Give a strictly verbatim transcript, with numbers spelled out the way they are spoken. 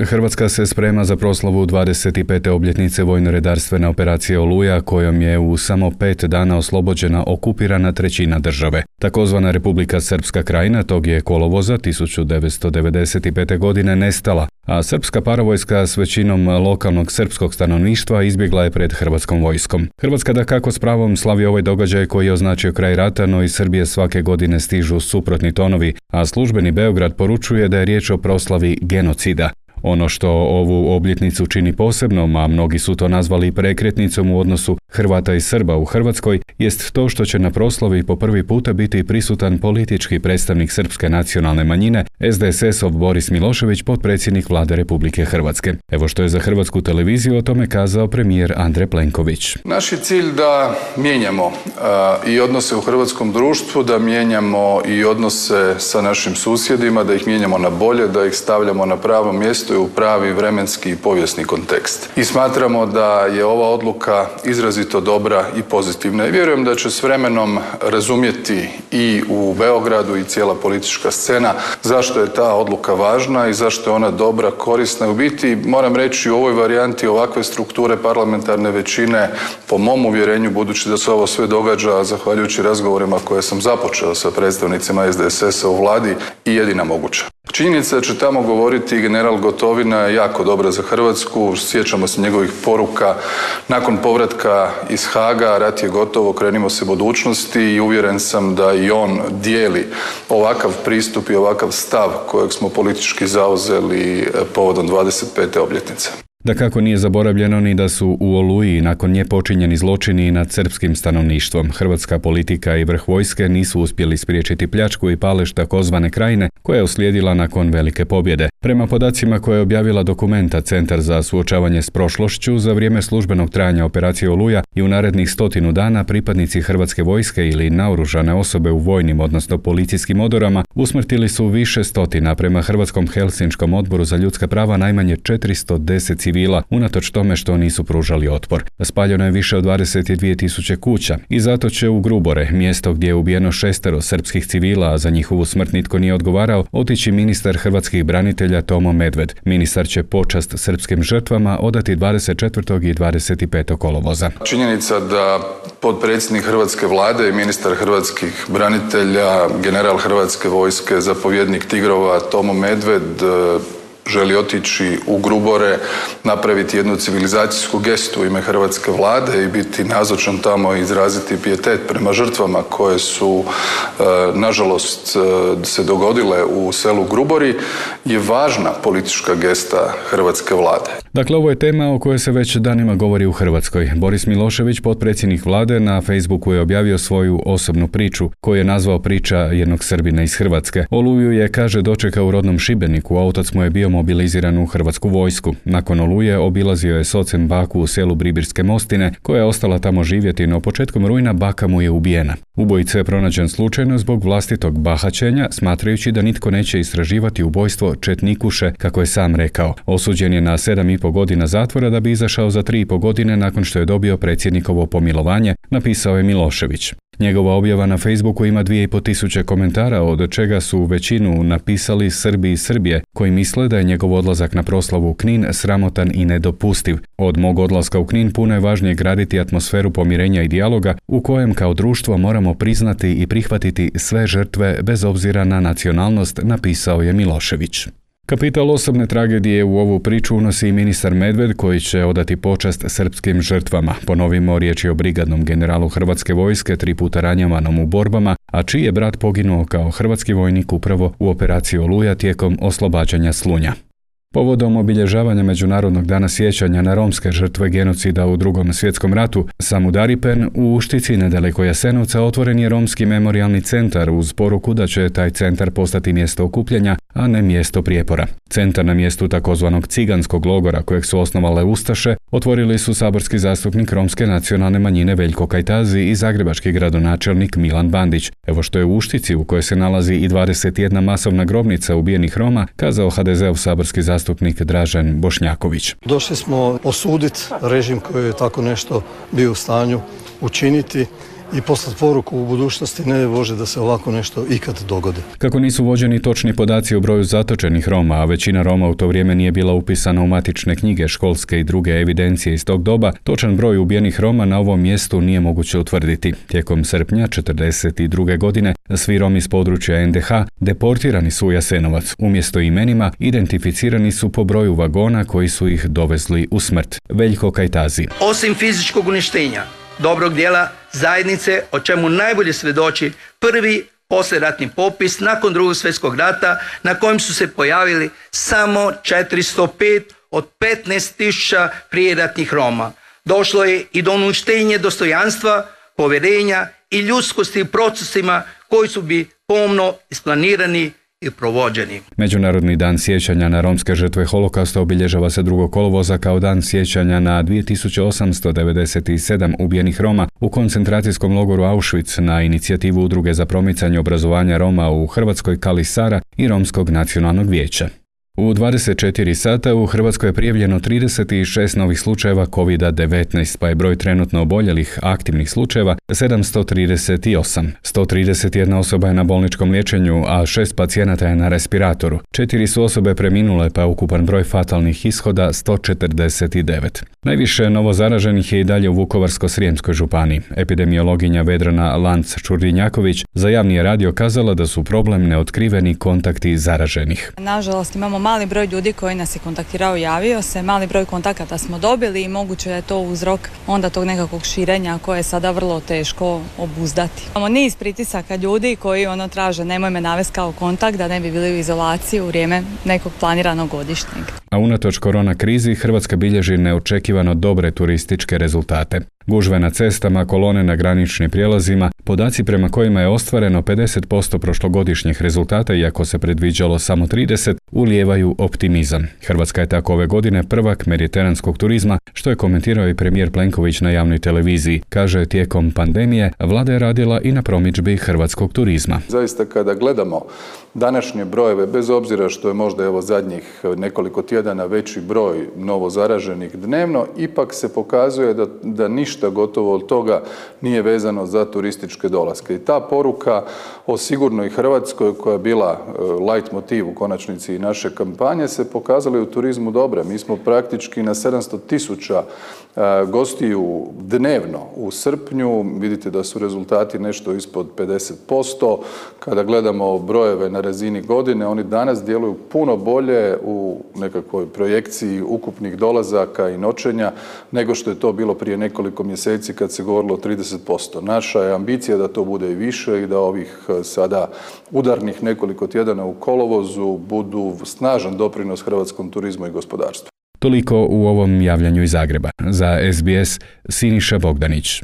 Hrvatska se sprema za proslavu dvadeset pete obljetnice vojno-redarstvene operacije Oluja, kojom je u samo pet dana oslobođena okupirana trećina države. Takozvana Republika Srpska krajina tog je kolovoza tisuću devetsto devedeset pete. godine nestala, a srpska paravojska s većinom lokalnog srpskog stanovništva izbjegla je pred hrvatskom vojskom. Hrvatska dakako s pravom slavi ovaj događaj koji je označio kraj rata, no iz Srbije svake godine stižu suprotni tonovi, a službeni Beograd poručuje da je riječ o proslavi genocida. Ono što ovu obljetnicu čini posebnom, a mnogi su to nazvali prekretnicom u odnosu Hrvata i Srba u Hrvatskoj, jest to što će na proslavi po prvi puta biti prisutan politički predstavnik srpske nacionalne manjine, es de es es-ov Boris Milošević, potpredsjednik Vlade Republike Hrvatske. Evo što je za Hrvatsku televiziju o tome kazao premijer Andrej Plenković. Naš je cilj da mijenjamo uh, i odnose u hrvatskom društvu, da mijenjamo i odnose sa našim susjedima, da ih mijenjamo na bolje, da ih stavljamo na pravo mjesto u pravi vremenski i povijesni kontekst. I smatramo da je ova odluka izrazito dobra i pozitivna. I vjerujem da će s vremenom razumjeti i u Beogradu i cijela politička scena zašto je ta odluka važna i zašto je ona dobra, korisna. U biti, moram reći, u ovoj varijanti ovakve strukture parlamentarne većine, po mom uvjerenju, budući da se ovo sve događa zahvaljujući razgovorima koje sam započeo sa predstavnicima es de es es-a u vladi, i jedina moguća. Činjenica da će tamo govoriti general Gotovina je jako dobra za Hrvatsku. Sjećamo se njegovih poruka nakon povratka iz Haaga, rat je gotovo, krenimo se budućnosti, i uvjeren sam da i on dijeli ovakav pristup i ovakav stav kojeg smo politički zauzeli povodom dvadeset pete obljetnice. Dakako nije zaboravljeno ni da su u Oluji nakon nje počinjeni zločini nad srpskim stanovništvom. Hrvatska politika i vrh vojske nisu uspjeli spriječiti pljačku i palež takozvane krajine koja je uslijedila nakon velike pobjede. Prema podacima koje je objavila Dokumenta, Centar za suočavanje s prošlošću, za vrijeme službenog trajanja operacije Oluja i u narednih stotinu dana pripadnici Hrvatske vojske ili naoružane osobe u vojnim, odnosno policijskim odorama, usmrtili su više stotina, prema Hrvatskom Helsinškom odboru za ljudska prava najmanje četiristo deset civila, unatoč tome što nisu pružali otpor. Spaljeno je više od dvadeset dvije tisuće kuća i zato će u Grubore, mjesto gdje je ubijeno šestero srpskih civila, a za njihovu smrt nitko nije odgovarao, otići ministar hrvatskih branitelja Tomo Medved. Ministar će počast srpskim žrtvama odati dvadeset četvrtog i dvadeset petog kolovoza. Činjenica da potpredsjednik hrvatske vlade i ministar hrvatskih branitelja, general hrvatske vojske, zapovjednik Tigrova Tomo Medved želi otići u Grubore, napraviti jednu civilizacijsku gestu u ime hrvatske vlade i biti nazočan tamo i izraziti pijetet prema žrtvama koje su, nažalost, se dogodile u selu Grubori, je važna politička gesta hrvatske vlade. Dakle, ovo je tema o kojoj se već danima govori u Hrvatskoj. Boris Milošević, potpredsjednik vlade, na Facebooku je objavio svoju osobnu priču, koju je nazvao priča jednog Srbina iz Hrvatske. Oluju je, kaže, dočekao u rodnom Šibeniku, a otac mu je bio mobiliziran u hrvatsku vojsku. Nakon Oluje obilazio je s ocem baku u selu Bribirske Mostine, koja je ostala tamo živjeti, no početkom rujna baka mu je ubijena. Ubojica je pronađen slučajno zbog vlastitog bahaćenja, smatrajući da nitko neće istraživati ubojstvo četnikuše, kako je sam rekao. Osuđen je na sedam i pol godina zatvora da bi izašao za tri i pol godine nakon što je dobio predsjednikovo pomilovanje, napisao je Milošević. Njegova objava na Facebooku ima dvije i pol tisuće komentara, od čega su većinu napisali Srbi i Srbije, koji misle da je njegov odlazak na proslavu u Knin sramotan i nedopustiv. Od mog odlaska u Knin puno je važnije graditi atmosferu pomirenja i dijaloga u kojem kao društvo moramo priznati i prihvatiti sve žrtve bez obzira na nacionalnost, napisao je Milošević. Kapital osobne tragedije u ovu priču unosi i ministar Medved, koji će odati počast srpskim žrtvama. Ponovimo, riječ je o brigadnom generalu Hrvatske vojske, tri puta ranjavanom u borbama, a čiji je brat poginuo kao hrvatski vojnik upravo u operaciji Oluja tijekom oslobađanja Slunja. Povodom obilježavanja Međunarodnog dana sjećanja na romske žrtve genocida u Drugom svjetskom ratu, Samudaripen u Uštici, nedaleko Jasenovca, otvoren je romski memorijalni centar uz poruku da će taj centar postati mjesto okupljanja, a ne mjesto prijepora. Centar na mjestu takozvanog ciganskog logora, kojeg su osnovale ustaše, otvorili su saborski zastupnik romske nacionalne manjine Veljko Kajtazi i zagrebački gradonačelnik Milan Bandić. Evo što je u Uštici, u kojoj se nalazi i dvadeset jedna masovna grobnica ubijenih Roma, kazao ha de zeov saborski zastupnik Dražen Bošnjaković. Došli smo osuditi režim koji je tako nešto bio u stanju učiniti i poslati poruku u budućnosti, ne Bože da se ovako nešto ikad dogodi. Kako nisu vođeni točni podaci o broju zatočenih Roma, a većina Roma u to vrijeme nije bila upisana u matične knjige, školske i druge evidencije iz tog doba, točan broj ubijenih Roma na ovom mjestu nije moguće utvrditi. Tijekom srpnja četrdeset druge godine svi Romi s područja en de ha deportirani su u Jasenovac. Umjesto imenima identificirani su po broju vagona koji su ih dovezli u smrt. Veljko Kajtazi. Osim fizičkog uništenja, dobrog dijela zajednice, o čemu najbolje svjedoči prvi poslijeratni popis nakon drugog svjetskog rata na kojem su se pojavili samo četiristo pet od petnaest tisuća prijeratnih Roma. Došlo je i do uništenja dostojanstva, povjerenja i ljudskosti u procesima koji su bi pomno isplanirani i provođeni. Međunarodni dan sjećanja na romske žrtve holokausta obilježava se drugog kolovoza kao dan sjećanja na dvije tisuće osamsto devedeset sedam ubijenih Roma u koncentracijskom logoru Auschwitz na inicijativu Udruge za promicanje obrazovanja Roma u Hrvatskoj Kali Sara i Romskog nacionalnog vijeća. U dvadeset četiri sata u Hrvatskoj je prijavljeno trideset šest novih slučajeva kovid devetnaest, pa je broj trenutno oboljelih aktivnih slučajeva sedamsto trideset osam. sto trideset jedna osoba je na bolničkom liječenju, a šest pacijenata je na respiratoru. Četiri su osobe preminule, pa je ukupan broj fatalnih ishoda sto četrdeset devet. Najviše novozaraženih je i dalje u Vukovarsko-srijemskoj županiji. Epidemiologinja Vedrana Lanc-Čurdinjaković za javni je radio kazala da su problem neotkriveni kontakti zaraženih. Nažalost, imamo mali broj ljudi koji nas je kontaktirao, javio se, mali broj kontakata smo dobili i moguće je to uzrok onda tog nekakvog širenja koje je sada vrlo teško obuzdati. Imamo niz pritisaka ljudi koji ono traže nemoj me navesti kao kontakt da ne bi bili u izolaciji u vrijeme nekog planiranog godišnjeg. A unatoč korona krizi Hrvatska bilježi neočekivano dobre turističke rezultate. Gužve na cestama, kolone na graničnim prijelazima, podaci prema kojima je ostvareno pedeset posto prošlogodišnjih rezultata, iako se predviđalo samo trideset, ulijevaju optimizam. Hrvatska je tako ove godine prvak mediteranskog turizma, što je komentirao i premijer Plenković na javnoj televiziji. Kaže, tijekom pandemije vlada je radila i na promidžbi hrvatskog turizma. Zaista kada gledamo današnje brojeve, bez obzira što je možda evo zadnjih nekoliko tjedana veći broj novozaraženih dnevno, ipak se pokazuje da, da ništa gotovo od toga nije vezano za turističke dolaske. I ta poruka o sigurnoj Hrvatskoj, koja je bila light motiv u konačnici i naše kampanje, se pokazala i u turizmu dobre. Mi smo praktički na sedamsto tisuća gostiju dnevno u srpnju. Vidite da su rezultati nešto ispod pedeset posto. Kada gledamo brojeve na razini godine, oni danas djeluju puno bolje u nekakvoj projekciji ukupnih dolazaka i noćenja nego što je to bilo prije nekoliko mjeseci kad se govorilo o trideset posto. Naša je ambicija da to bude i više i da ovih sada udarnih nekoliko tjedana u kolovozu budu snažan doprinos hrvatskom turizmu i gospodarstvu. Toliko u ovom javljanju iz Zagreba. Za es be es Siniša Bogdanić.